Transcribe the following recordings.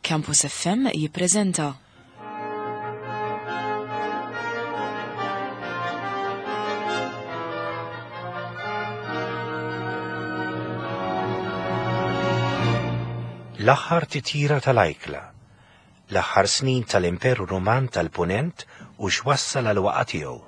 Campus FM jippreżenta. L-aħħar titjira tal-ajkla, l-aħħar snin tal-Imperu Ruman tal-Punent u x'wassal għal waqa' tiegħu.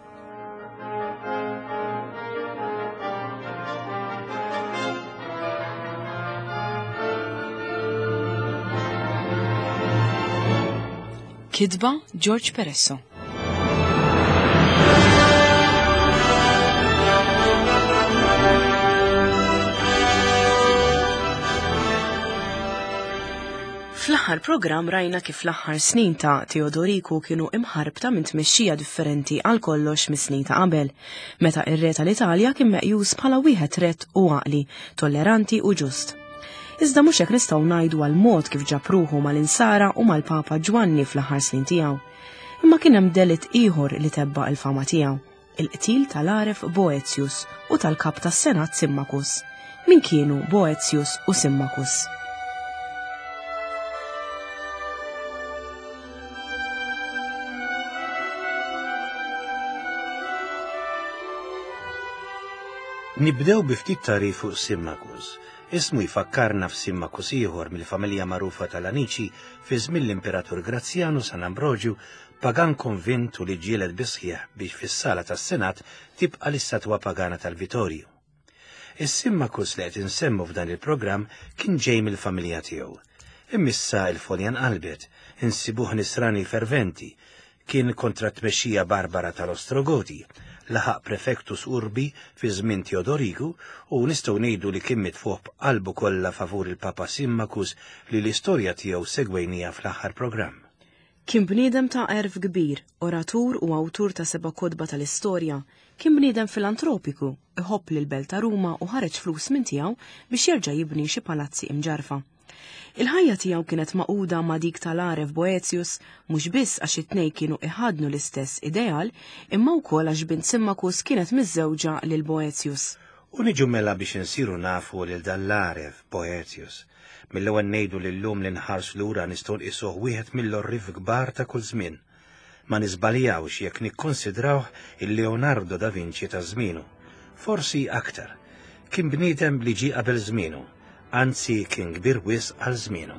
Kitba George Peresso. Fl-aħħar programm rajna kif l-aħħar snin ta' Teodoriku kienu imħarbta minn tmexxija differenti għal kollox mis-snin ta' qabel, meta ir-re tal-Italja kien meqjus bħala wieħed rett u għaqli, tolleranti u ġust. Iżda mhux hekk nistgħu ngħidu għal mod kif ġab ruħu mal-insara u mal-Papa Ġwanni fl-aħħar snin tiegħu. Imma kien hemm delitt ieħor li tebba' il-fama tiegħu il-qtil tal-għaref Boetius u tal-kap tas-Senat Symmachus. Min kienu Boetius u Symmachus? Nibdew bi ftit tagħrif fuq Symmachus. Ismu jfakkarna f'Symmachus ieħor mill-familja magħrufa tal-Anici fi żmien l-Imperatur Grazjanu San Ambroġju pagan konvint u li ġġieled bis-sħiħ biex fis-sala tas-Senat tibqa' l-istatwa pagana tal-Vitorju. Is-Symmachus li qed insemmu f'dan il-programm kien ġej mill-familja tiegħu. Imma issa l-folja nqalbet, insibuh nisrani ferventi, kien kontra t-tmexxija barbara tal-Ostrogoti, laħaq prefectus urbi fi żmien Teodoriku u nistgħu ngħidu li kien mitfuħ b'qalbu kollha favur il-Papa Symmachus li l-istorja tiegħu segwejnija fl-aħħar programm. Kien bniedem ta' għerf kbir, oratur u awtur ta' seba' kotba tal-istorja. Kien bniedem filantropiku, iħobb lill-belt ta' Ruma u ħareġ flus minn tiegħu biex jerġa' jibni xi palazzi imġarrfa. Il-ħajja tiegħu kienet magħquda ma' dik tal-għaref Boetius mhux biss għax it-tnejn kienu iħaddnu l-istess ideal imma wkoll għax bint Symmachus kienet miżżewġa lil Boetius. U niġu mela biex insiru nafu lil dan l-għaref, Boetius. Mill-ewwel ngħidu li llum li nħarsu lura nistgħu nqisuh wieħed mill-għorrief kbar ta' kull żmien. Ma niżbaljawx jekk nikkonsidrawh il-Leonardo da Vinci ta' żmienu. Forsi aktar. Kien bniedem li ġie qabel żmienu, anzi kien kbir wisq għal żmienu.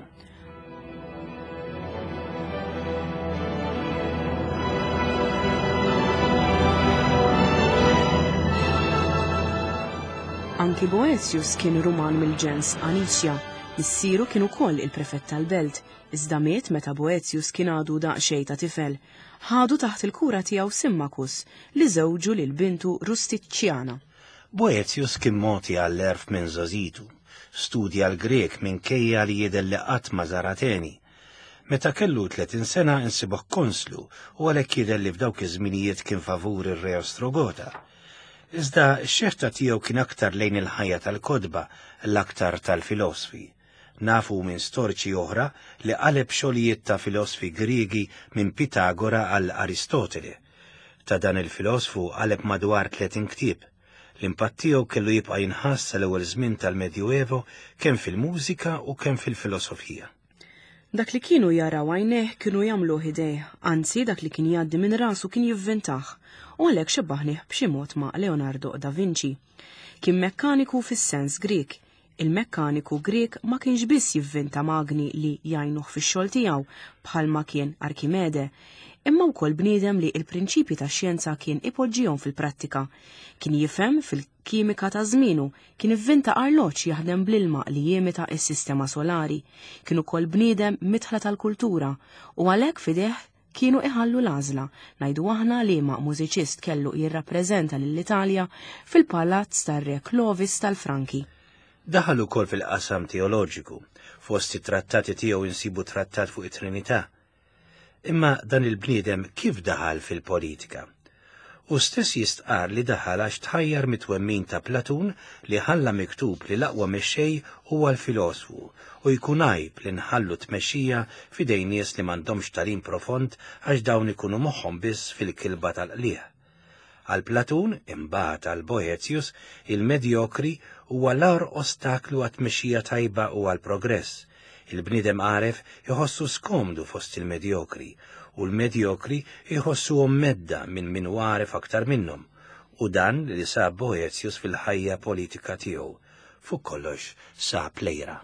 Anki Boetius kien Ruman mill-ġens Anicia. Missieru kien ukoll il-prefett tal-belt, iżda miet meta Boetius kien għadu daqsxejn ta' tifel. Ħadu taħt il-kura tiegħu Symmachus, li żewġu lil bintu Rusticiana. Boetius kien mogħti għall-għerf minn żgħożitu. Studja l-Grieg minkejja li jidher li qatt ma żar Ateni. Meta kellu 30 sena insibuh konslu u għalhekk jidher li f'dawk iż-żminijiet kien favur ir-re Ostrogota. Iżda x-xeħta tiegħu kien aktar lejn il-ħajja tal-kotba, l-aktar tal-filosfi. Nafu minn storiċi oħra li qaleb xogħlijiet ta' filosfi Griegi minn Pitagora għal Aristotele. Ta' dan il-filosfu qaleb madwar 30 ktieb. L-impatt tiegħu kellu jibqa' jinħass sal-ewwel żmien tal-Medjuevo kemm fil-mużika u kemm fil-filosofija. Dak li kienu jaraw għajnejh kienu jagħmluh idejh, anzi dak li kien jgħaddi minn rasu kien jivvintah, u għalhekk xebbaħnih b'xi mod ma' Leonardo da Vinci. Kien mekkaniku fis-sens Grieg, Il-mekkaniku Grieg ma kienx biss jivvinta magni li jgħinuh fix-xogħol tiegħu bħalma kien Arkimede, imma wkoll bniedem li l-prinċipji tax-xjenza kien ipoġġihom fil-prattika. Kien jifhem fil-kimika ta' żmienu, kien ivvinta arloġġ jaħdem bl-ilma li jimita s-sistema solari. Kien ukoll bniedem midħla tal-kultura u għalhekk f'idejh kienu iħallu l-għażla, ngħidu aħna liema mużiċist kellu jirrappreżenta lill-Italja fil-palazz tar-Re Clovis tal-Franki. Daħal ukoll fil-qasam teoloġiku. Fost it-trattati tiegħu insibu trattat fuq it-Trinità. Imma dan il-bniedem kif daħal fil-politika? Hu stess jistqarr li daħal għax tħajjar mit-twemmin ta' Platun li ħalla miktub li l-aqwa mexxej huwa l-filosfu u jkun għajb li nħallu t-tmexxija f'idejn nies li m'għandhomx tagħlim profond għax dawn ikunu moħħhom biss fil-kilba tal-qligħ. Għal Platun, imbagħad għal Boethius, il-medjokri huwa l-agħar ostaklu għat-tmexxija tajba u għall-progress. Il-bniedem għaref iħossu skomdu fost il-medjokri, u l-medjokri jħossuhom medda minn min hu għaref aktar minnhom, u dan li sab Boethius fil-ħajja politika tiegħu. Fuq kollox sab l-għira.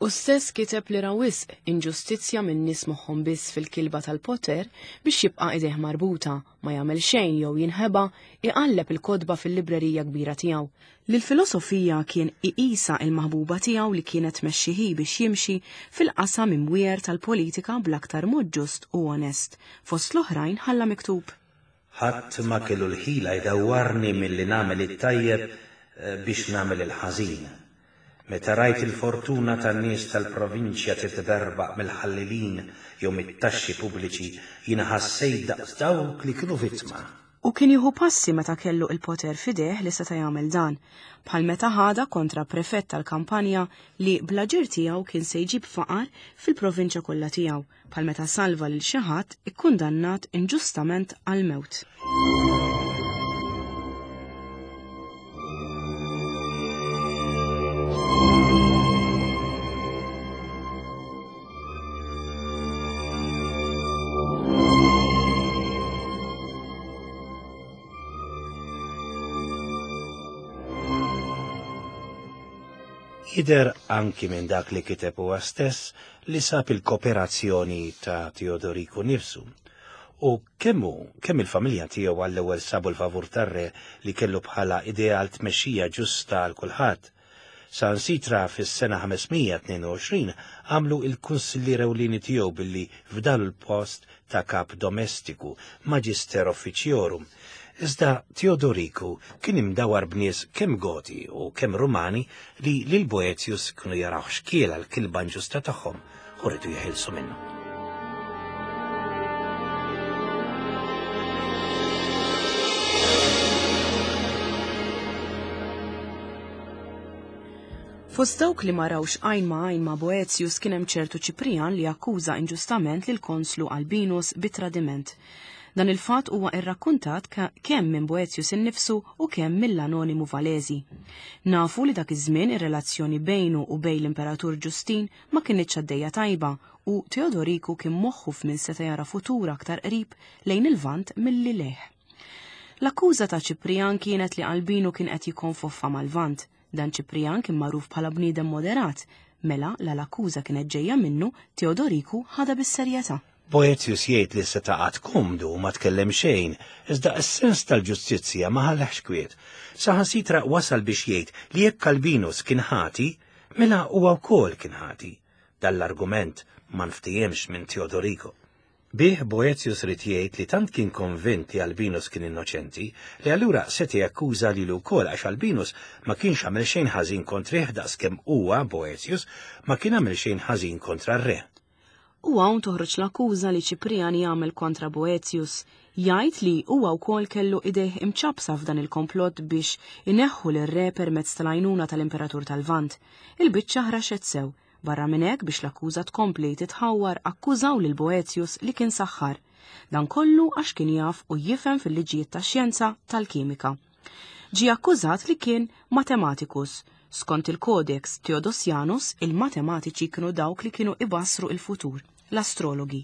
Hu stess kiteb li ra wisq inġustizzja minn nies moħħhom biss fil-kilba tal-poter biex jibqa' idejh marbuta, ma jagħmel xejn jew jinħeba iqalleb il-kotba fil-librerija kbira tiegħu. Li l-filosofija kien iqisha il-maħbuba tiegħu li kienet tmexxi hi biex jimxi fil-qasam imwiegħer tal-politika bl-aktar mod ġust u onest. Fost l-oħrajn ħalla miktub. Ħadd ma kellu l-ħila jdawwarni milli nagħmel it-tajjeb biex nagħmel il-ħażin. Meta rajt il-fortuna tan-nies tal-provinċja titberbaq mill-ħallelin jew mit-taxxi pubbliċi, jiena ħassejt daqs dawk li kienu vittma. U kien jieħu passi meta kellu il-poter f'idejh li seta' jagħmel dan, bħal meta ħadha kontra prefett tal-kampanja li bl-aġir tiegħu kien se jġib faqar fil-provinċja kollha tiegħu, bħal meta salva lil xi ħadd ikkundannat inġustament għall-mewt. Jidher anki minn dak li kiteb huwa stess li sab il-kooperazzjoni ta' Teodoriku nifsu. U kemm hu, kemm il-familja tiegħu għall-ewwel sabu l-favur tar-re li kellu bħala ideal tmexxija ġusta għal kulħadd. Saħansitra fis-sena 522 għamlu il-kunsillier ewlieni tiegħu billi fdalu l-post ta' kap domestiku, magister officiorum. Iżda Teodoriku kien imdawwar b'nies kemm Goti u kemm Rumani li lil Boethius kienu jarawh xkiel għall-kilba inġusta tagħhom u riedu jeħilsu minnu. Fost dawk li ma rawx għajn ma' għajn ma' Boethius kien hemm ċertu Ċiprijan li akkuża inġustament lill-konslu Albinus bi tradiment. Dan il-fatt huwa rrakkuntat kemm minn Boethius innifsu u kemm mill-anonimu Valesi. Nafu li dak iż-żmien ir-relazzjoni bejnu u bejn l-Imperatur Ġustin ma kinitx għaddejja tajba u Teodoriku kien moħħu f'min seta' jara futur aktar qrib lejn il-Lvant milli lejh. L-akkuża ta' Ċiprijan kienet li Albinu kien qed jikkonfoffa mal-Lvant. Dan Ċiprijan kien magħruf bħala bniedem moderat, mela la l-akkuża kienet ġejja minnu, Teodoriku ħadha bis-serjetà. Boethius jgħid li seta' qagħad komdu u ma tkellem xejn, iżda s-sens tal-ġustizzja ma ħallehx kwiet. Saħansitra wasal biex jgħid li jekk Albinus kien ħati, mela huwa wkoll kien ħati. Dan l-argument ma nftihemx minn Teodorico. Bih Boethius ried jgħid li tant kien konvint li Albinus kien innoċenti, li allura seta' jakkuża lilu wkoll għax Albinus ma kienx għamel xejn ħażin kontrih daqskemm huwa, Boethius, ma kien għamel xejn ħażin kontra r-re. U hawn toħroġ l-akkuża li Ċiprijan jagħmel kontra Boethius. Jgħid li huwa wkoll kellu idejh imċappsa f'dan il-komplott biex ineħħu lir-re permezz tal-għajnuna tal-Imperatur tal-Lvant. Il-biċċa ħraxet sew. Barra minn hekk biex l-akkuża tkompli titħawwar akkużaw lil Boethius li kien saħħar. Dan kollu għax kien jaf u jifhem fil-liġijiet tax-xjenza tal-kimika. Ġie akkużat li kien mathematicus. Skont il-Codex Theodosianus, il-matematiċi kienu dawk li kienu ibassru il-futur, l-astrologi.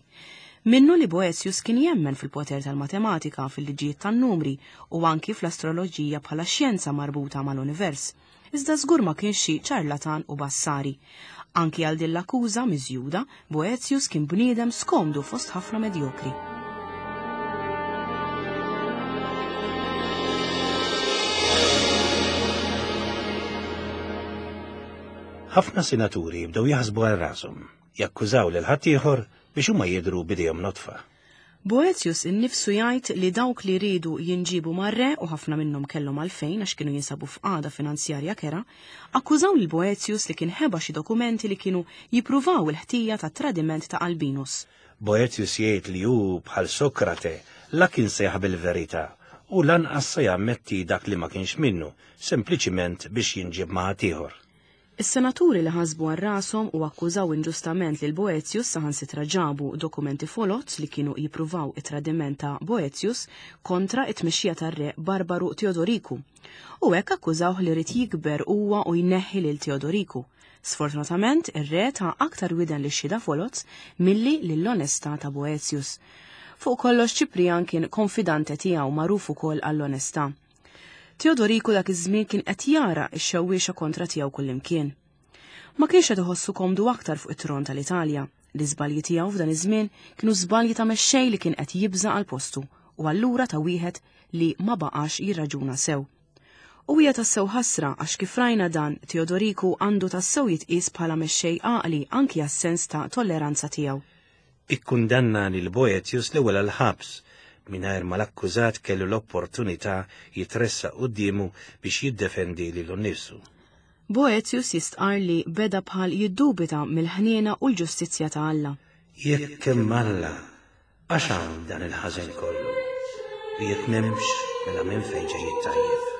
Minnu li Boethius kien jemmen fil-poter tal-matematika, fil-liġijiet tan-numri u anki fl-astroloġija bħala xjenza marbuta mal-univers. Iżda żgur ma kienx xi ċarlatan u bassari. Anki għal din l-akkuża miżjuda, Boethius kien bniedem skomdu fost ħafna medjokri. Ħafna senaturi bdew jaħsbu għal rashom, jakkużaw lil ħaddieħor biex huma jidhru b'idejhom nodfa. Boethius innifsu jgħid li dawk li riedu jinġiebu mar-re, u ħafna minnhom kellhom għalfejn għax kienu jinsabu f'qagħda finanzjarja kerha, akkużaw lil Boethius li kien ħeba xi dokumenti li kienu jippruvaw il-ħtija tat-tradiment ta' Albinus. Boethius jgħid li hu, bħal Sokrate, la kien se jaħbi l-verità u lanqas se jammetti dak li ma kienx minnu, sempliċiment biex jinġieb ma' ħaddieħor. Is-senaturi li ħasbu għal rashom u akkużaw inġustament lil Boethius saħansitra ġabu dokumenti foloz li kienu jippruvaw it-tradiment ta' Boethius kontra t-tmexxija tar-re barbaru Teodoriku. U hekk akkużawh li ried jikber huwa u jneħħi lil Teodoriku. Sfortunatament, ir-re ta aktar widen lix-xhieda foloz milli lill-onestà ta' Boetius. Fuq kollox Ċiprijan kien konfidante tiegħu magħruf ukoll għall-onestà. Teodoriku dak iż-żmien kien qed jara x-xewwiexa kontra tiegħu kullimkien. Ma kienx qed iħossu komdu aktar fuq it-tron tal-Italja. L-iżbalji tiegħu f'dan iż-żmien kienu żbalji ta' mexxej li kien qed jibża' għal postu u allura ta' wieħed li ma baqax jirraġuna sew. U hija tassew ħasra għax kif rajna dan Teodoriku għandu tassew jitqies bħala mexxej għaqli anki għas-sens ta' tolleranza tiegħu. Ikkundanna lil Boetius l-ewwel għall-ħabs mingħajr ma l-akkużat kellu l-opportunità jitressaq quddiemu biex jiddefendi lilu nnifsu. Boetius jistqarr li beda bħal jiddubita mill-ħniena u l-ġustizzja ta' Alla. Jekk hemm Alla, għax hawn dan il-ħażen kollu? U jekk m'hemmx, mela minn fejn ġej it-tajjeb?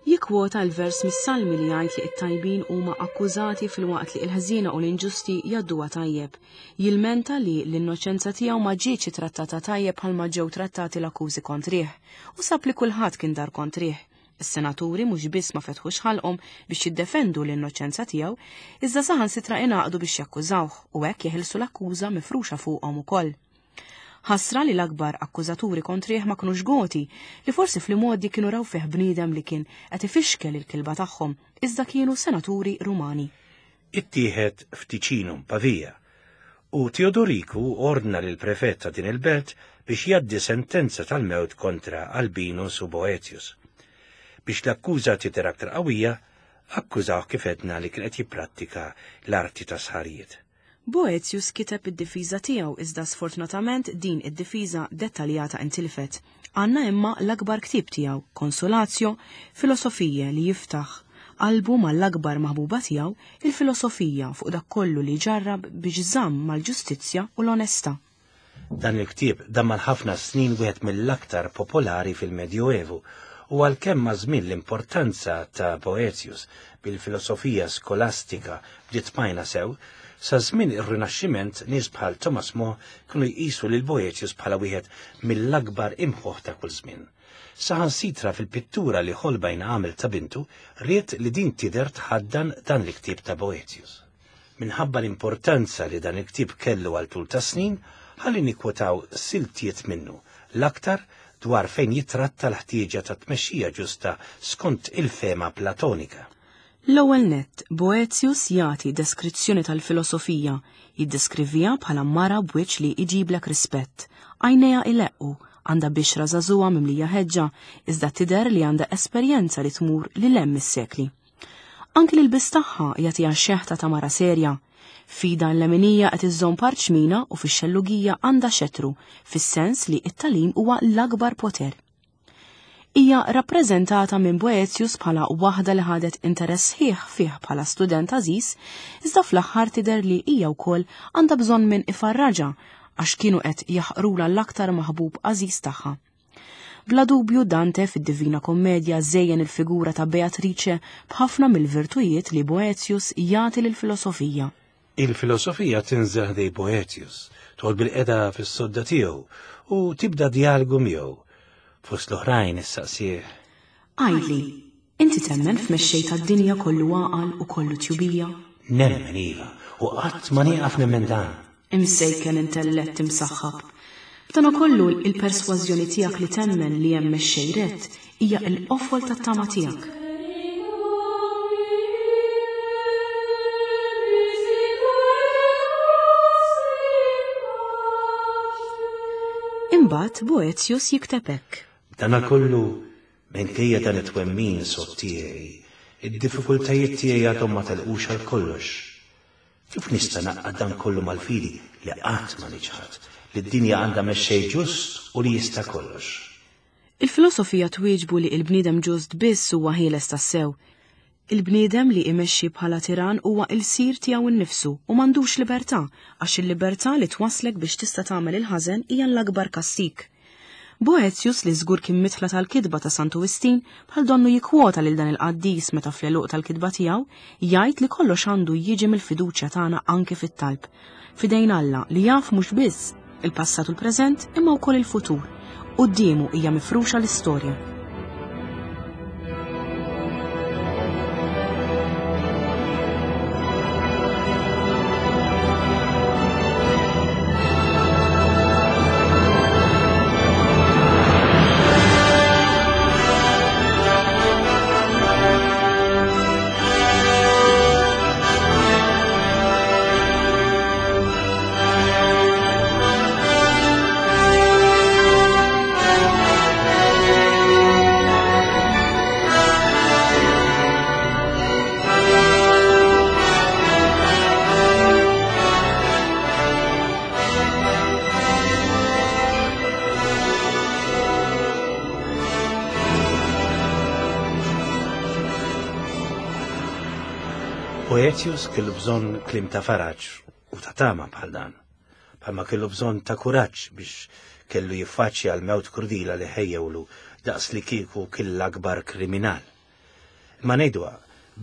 Jikkwota l-vers mis-Salmi li jgħid li t-tajbin huma akkużati filwaqt li l-ħżiena u l-inġusti jgħadduha tajjeb. Jilmenta li l-innoċenza tiegħu ma ġietx ittrattata tajjeb bħalma ġew trattati l-akkużi kontrih, u sab li kulħadd kien dar kontrih. Is-senaturi mhux biss ma fetħux ħalqhom biex jiddefendu l-innoċenza tiegħu, iżda saħansitra ingħaqdu biex jakkużawh u hekk jeħilsu l-akkuża mifruxa fuqhom ukoll. Ħasra li l-akbar akkużaturi kontrih ma kinux Goti, li forsi fl-imgħoddi kienu raw fih bniedem li kien qed ifixkel il-kilba tagħhom, iżda kienu senaturi Rumani. Ittieħed f'Ticinum, Pavia, u Teodoriku ordna lill-prefett ta' din il-belt biex jgħaddi sentenza tal-mewt kontra Albinus u Boetius. Biex l-akkuża tidher aktar qawwija, akkużawh kif għedna li kien qed jipprattika l-arti tas-sħarijiet. Boetius kiteb id-difiża tiegħu iżda sfortunatament din id-difiża dettaljata intilfet. Għandna imma l-akbar ktieb tiegħu, Consolatio Philosophiae li jiftaħ qalbu mal-akbar maħbuba tiegħu, il-filosofija, fuq dak kollu li ġarrab biex żamm mal-ġustizzja u l-onestà. Dan il-ktieb dam għal ħafna snin wieħed mill-aktar popolari fil-Medjuevu u għalkemm maż-żmien l-importanza ta' Boetius bil-filosofija skolastika bdiet tmajna sew, sa żmien ir-Rinaxximent nies bħal Thomas More kienu jqisu lil Boetius bħala wieħed mill-akbar imħuħ ta' kull żmien. Saħansitra fil-pittura li Holbein għamel ta' bintu, ried li din tidher tħaddan dan il-ktieb ta' Boetius. Minħabba l-importanza li dan il-ktieb kellu għal tul ta' snin, ħalli nikkwotaw siltiet minnu, l-aktar dwar fejn jittratta l-ħtieġa ta' tmexxija ġusta skont il-fehma Platonika. L-ewwel nett, Boetius jagħti deskrizzjoni tal-filosofija, jiddeskriviha bħala mara b'wiċċ li jġiblek rispett, għajnejha ileqqu, għandha bixra żagħżugħa mimlija ħeġġa, iżda tidher li għandha esperjenza li tmur lil hemm mis-sekli. Anki l-ilbies tagħha jagħtiha xeħta ta' mara serja. F'idha l-leminija qed iżżomm parċmina u fix-xellugija għandha xetru, fis-sens li t-tagħlim huwa l-akbar poter. Hija rappreżentata minn Boetius bħala waħda li ħadet interess sħiħ fih bħala student għażiż, iżda fl-aħħar tidher li hija wkoll għandha bżonn min ifarraġha għax kienu qed jaħqrulha l-aktar maħbub għażiż tagħha. Bla dubju Dante fid-Divina Kommedja żejjen il-figura ta' Beatrice b'ħafna mill-virtujiet li Boetius jagħti lill-filosofija. Il-filosofija tinżel ħdej Boetius, toqgħod bilqiegħda fis-sodda tiegħu u tibda djalgu miegħu. Fost l-oħrajn issaqsih. Għidli, inti temmen f'mexxej tad-dinja kollu għaqal u kollu tjubija? Nemmen iva, u qatt ma nieqaf nemmen dan. Imsejken intellett imsaħħab. B'danakollu il-persważjoni tiegħek li temmen li hemm mexxej rett hija l-qofol tat-tama tiegħek. Imbagħad Boetius jikteb hekk. B'danakollu, minkejja dan it-twemmin sod tiegħi, id-diffikultajiet tiegħi għadhom ma telqux għal kollox. Kif nista' ngħaqqad dan kollu mal-fidi li qatt ma niċħad li d-dinja għandha mexxej ġust u li jista' kollox? Il-filosofija twieġbu li l-bniedem ġust biss huwa ħieles tassew. Il-bniedem li imexxi bħala tiran huwa ilsir tiegħu nnifsu u m'għandux libertà, għax il-libertà li twasslek biex tista' tagħmel il-ħażen hija l-akbar kastig. Boetius li żgur kien midħla tal-kitba ta' Santu Wistin, bħal donnu jikkwota lil dan il-qaddis meta fl-għeluq tal-kitba tiegħu jgħid li kollox għandu jiġi mill-fiduċja tagħna anki fit-talb. F'idejn Alla li jaf mhux biss Il-passat u l-preżent imma wkoll il-futur. Quddiemu hija mifruxa l-istorja. Boetius kellu bżonn kliem ta' faraġ u ta' tama bħal dan. Bħalma kellu bżonn ta' kuraġġ biex kellu jiffaċċja l-mewt krudila li ħejjewlu daqs li kieku kien l-akbar kriminal. Imma ngħiduha,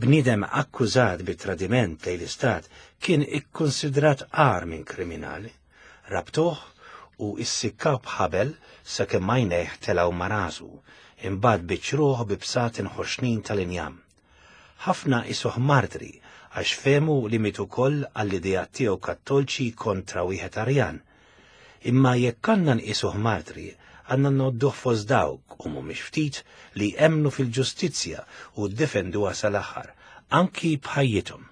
bniedem akkużat bi tradiment lejn l-istat kien ikkunsidrat agħar minn kriminali. Rabtuh u issikkaw b'ħabel sakemm għajnejh telgħu ma' rasu, imbagħad biċċruh bi bsaten ħoxnin tal-injam. Ħafna qisuh martri għax fehmu li miet ukoll għall-ideat tiegħu kattolċi kontra wieħed Arjan. Imma jekk għandna nqisuh martri, għandna ngħodduh fost dawk, u mhumiex ftit, li emmnu fil-ġustizzja u ddefenduha sal-aħħar, anki b'ħajjithom.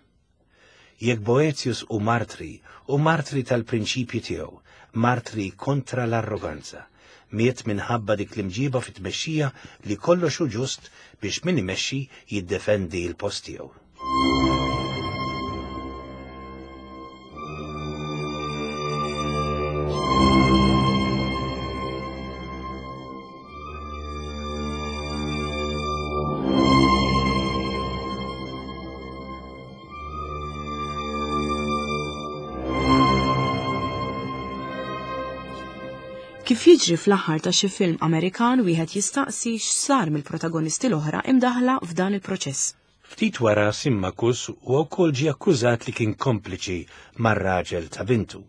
Jekk Boetius hu martri, hu martri tal-prinċipji tiegħu, martri kontra l-arroganza. Miet minħabba dik l-imġiba fit-tmexxija li kollox hu ġust biex min imexxi jiddefendi l-post tiegħu. Kif jiġri fl-aħħar ta' xi film Amerikan wieħed jistaqsi x'sar mill-protagonisti l-oħra imdaħla f'dan il-proċess. Ftit wara Symmachus huwa wkoll ġie akkużat li kien kompliċi mar-raġel ta' bintu.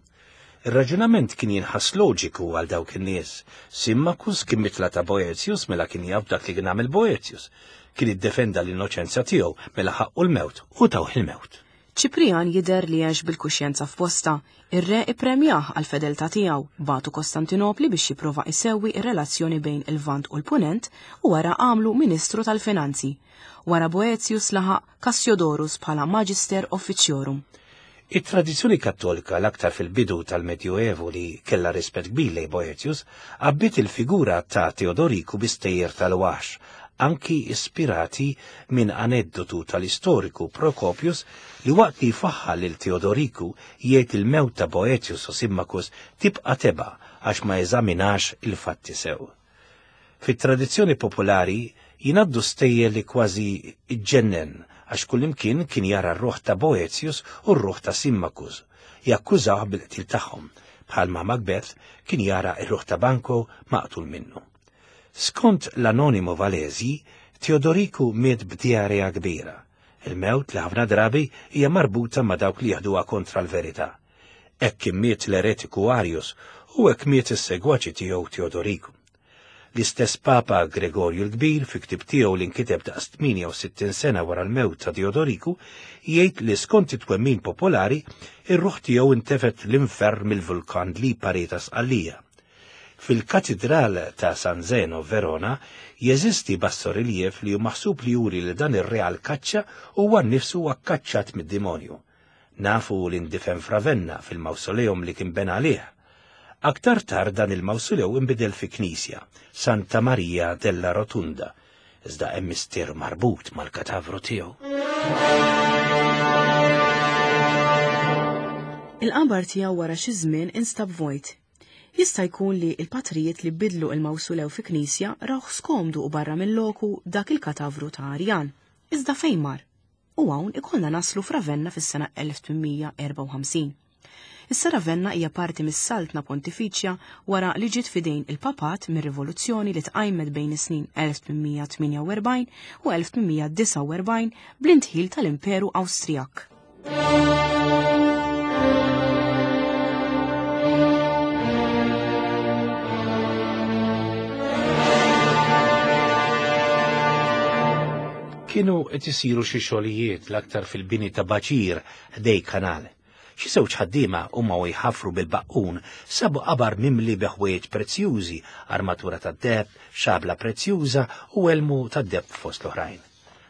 Ir-raġunament kien jinħass loġiku għal dawk in-nies. Symmachus kien mitla ta' Boetius mela kien jaf dak li kien għamel Boetius. Kien iddefenda l-innoċenza tiegħu mela ħaqqu l-mewt u tawh il-mewt. Ċiprijan jidher li għex bil-kuxjenza f'postha. Ir-re ippremjah għall-fedeltà tiegħu, bagħtu Kostantinopli biex jipprova isewwi r-relazzjoni bejn il-Lvant u l-Punent u wara għamlu Ministru tal-Finanzi. Wara Boetius laħaq Cassiodorus bħala Magister Officiorum. It-tradizzjoni Kattolika, l-aktar fil-bidu tal-Medjuevu li kellha rispett kbir lejn Boetius, għabbiet il-figura ta' Teodoriku bi stejjer tal-waħx, anki ispirati minn aneddotu tal-istoriku Procopius li waqt li jfaħħar lil Teodoriku jgħid il-mewt ta' Boetius u Symmachus tibqa' tebgħa għax ma eżaminax il-fatti sew. Fit-tradizzjoni popolari jingħaddu stejjer li kważi ġġennen għax kullimkien kien jara r-ruħ ta' Boetius u r-ruħ ta' Symmachus, jakkużawh bil-qtil tagħhom, bħalma Macbeth kien jara r-ruħ ta' Banquo maqtul minnu. Skont l-Anonimo Valesi, Teodoriku miet b'diarrea kbira, il-mewt li ħafna drabi hija marbuta ma' dawk li jeħduha kontra l-verità. Hekk kien miet l-eretiku Arius u hekk miet is-segwaċi tiegħu Teodoriku. L-istess Papa Gregorju l-Kbir fi ktieb tiegħu li nkiteb daqs 68 sena wara l-mewt ta' Teodoriku jgħid li skont it-twemmin popolari ir-ruħ tiegħu intefet l-infern mill-vulkan Lipari ta' Sqallija. Fil-Katidral ta' San Zeno f'Verona jeżisti bassoriljev li hu maħsub li juri li dan ir-re għall-kaċċa huwa nnifsu akkaċċat mid-dimonju. Nafu li ndifen f'Ravenna fil-mawsoleum li kien bena għalih. Aktar tard dan il-mawsolew inbidel fi knisja, Santa Maria della Rotunda, iżda hemm misteru marbut mal-katavru tiegħu. Il-qabar tiegħu wara xi żmien instab vojt. Jista' jkun li l-patrijiet li bidlu il-mawsulew fi knisja rawh skomdu u barra minn loku dak il-katavru ta' Arjan. Iżda fejn mar? U hawn ikollna naslu f'Ravenna fis-sena 1854. Issa Ravenna hija parti mis-Saltna Pontifiċja wara li ġiet f'idejn il-Papat mir-rivoluzzjoni li tqajmet bejn is-snin 1848 u 1849 bl-indħil tal-Imperu Awstrijak. Kienu qed isiru xi xogħlijiet l-aktar fil-bini ta' baċir ħdej kanal. Xi żewġ ħaddiema huma u jħaffru bil-baqqun sabu qabar mimli bi ħwejjeġ prezzjużi, armatura tad-deheb, xabla prezzjuża u elmu tad-deheb fost l-oħrajn.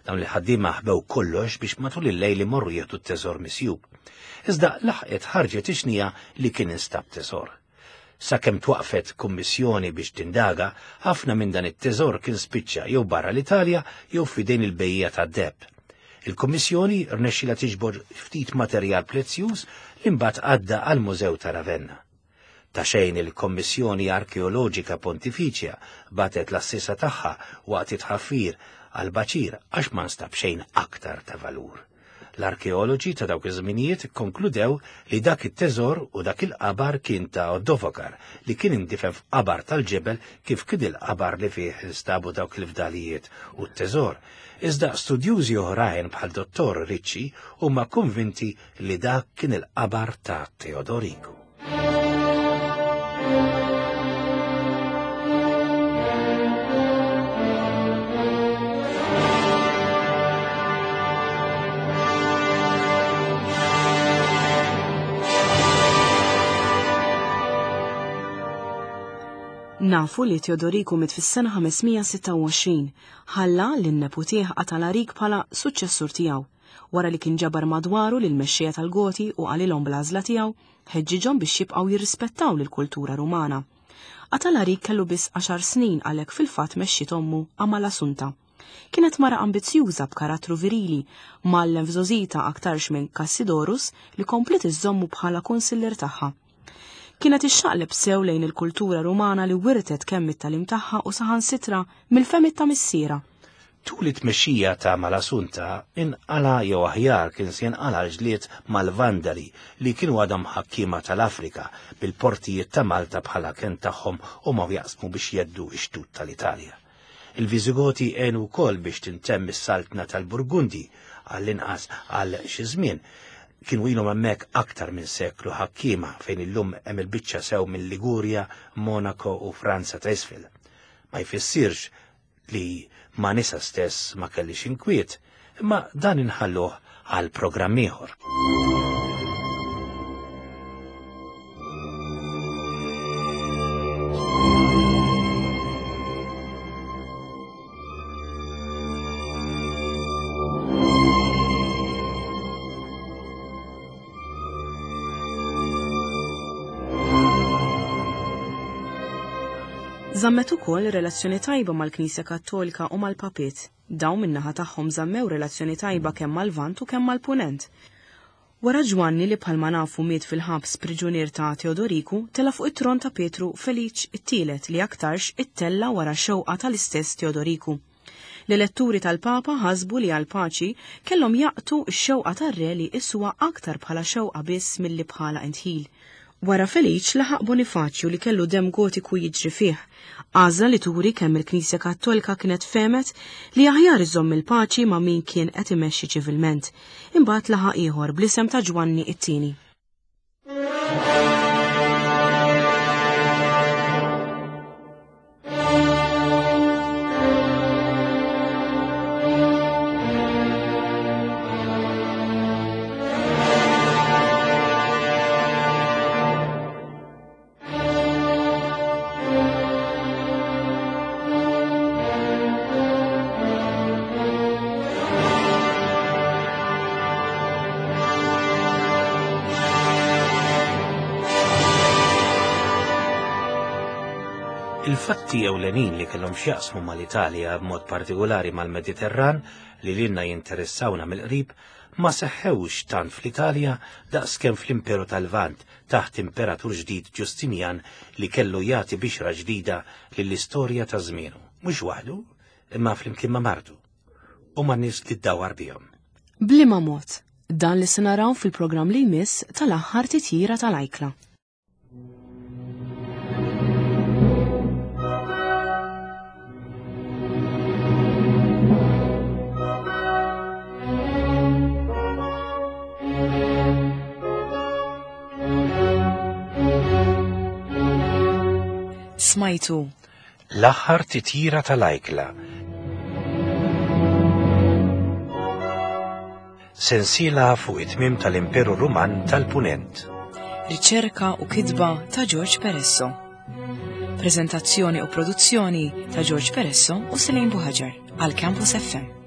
Dawn il-ħaddiema ħbew kollox biex matul il-lejl imorru jieħdu t-teżor misjub. Iżda laħqet ħarġet ix-xnija li kien instab teżor. Sakemm twaqqfet kummissjoni biex tindaga, ħafna minn dan it-teżor kien spiċċa jew barra l-Italja jew f'idejn il-bejjiegħa tad-deheb. Il-kummissjoni rnexxilha tiġbor ftit materjal prezzjuż li mbagħad għadda għall-Mużew ta' Ravenna. Ta' xejn il-Kommissjoni Arkeoloġika Pontifiċja bagħtet l-għassiesa tagħha waqt it-tħaffir għall-baċir għax ma nstab xejn aktar ta' valur. L-arkeoloġi ta' dawk iż-żminijiet ikkonkludew li dak it-teżor u dak il-qabar kien ta' Oddovokar li kien indifen f'qabar tal-ġebel kif kien il-qabar li fih instabu dawk il-fdalijiet u t-teżor. Iżda studjużi oħrajn bħal Dottor Ricci huma konvinti li dak kien il-qabar ta' Teodoriku. Nafu li Teodoriku miet fis-sena 526, ħalla lin-neputih Atalarik bħala suċċessur tiegħu. Wara li kien ġabar madwaru lill-mexxejja tal-Goti u qalilhom bl-għażla tiegħu, ħeġġiġhom biex jibqgħu jirrispettaw lill-kultura Rumana. Atalarik kellu biss għaxar snin għalhekk fil-fatt mexxiet ommu Amalasunta. Kienet mara ambizzjuża b'karattru virili, mgħallem f'żgħożitha aktarx minn Kassidorus li kompliet iżżommu bħala kunsillier tagħha. Kienet ixxaqleb sew lejn il-kultura Rumana li wirtet kemm mit-tagħlim tagħha u saħansitra mill-fehmiet ta' missierha. Tul it-tmexxija ta' Malasunta inqala' jew aħjar kien se jinqala' l-ġlied mal-Vandali li kienu għadhom ħakkiema tal-Afrika bil-portijiet ta' Malta bħala kenn tagħhom huma u jaqsmu biex jgħeddu x-xtut tal-Italja. Il-Viżigoti għenu wkoll biex tintemm is-saltna tal-Burgundi, għall-inqas għal xi żmien. Kienu ilhom hemmhekk aktar minn seklu ħakkiema fejn illum hemm il-biċċa sew minn Ligurja, Monaco u Franza ta' isfel. Ma jfissirx li ma' nisa stess ma kellix inkwiet, imma dan inħalluh għal programm ieħor. Żammet ukoll relazzjoni tajba mal-Knisja Kattolika u mal-Papiet. Dawn min-naħa tagħhom żammew relazzjoni tajba kemm mal-Lvant u kemm mal-Punent. Wara Ġwanni li bħalma nafu miet fil-ħabs priġunier ta' Teodoriku, tela' fuq it-tron ta' Pietru Feliċ it-Tielet li aktarx ittella' wara xewqa tal-istess Teodoriku. L-eletturi tal-Papa ħasbu li għall-paċi kellhom jaqtu x-xewqa tar-re li jqisuha aktar bħala xewqa biss milli bħala indħil. Wara Feliċ laħaq Bonifaċju li kellu demm Gotiku jiġri fih, għażla li turi kemm il-Knisja Kattolika kienet fehmet li aħjar iżżomm il-paċi ma' min kien qed imexxi ċivilment. Imbagħad laħaq ieħor bl-isem ta' Ġwanni it-Tieni. Il-fatti ewlenin li kellhom x'jaqsmu mal-Italja b'mod partikolari mal-Mediterran li lilna jinteressawna mill-qrib ma seħħewx tant fl-Italja daqskemm fl-Imperu tal-Lvant taħt imperatur ġdid Ġustinjan li kellu jagħti bixra ġdida lill-istorja ta' żmienu, mhux waħdu, imma flimkien ma' martu u ma' nies li ddawwar bihom. B'liema mod? Dan li se naraw fil-programm li jmiss tal-aħħar titjira tal-ajkla. Smajtu. L-aħħar titjira tal-ajkla. Sensiela fuq it-tmiem tal-Imperu Ruman tal-Punent. Riċerka u kitba ta' George Peresso. Prezentazzjoni u produzzjoni ta' George Peresso u Selene Buhaġar għal Campus FM.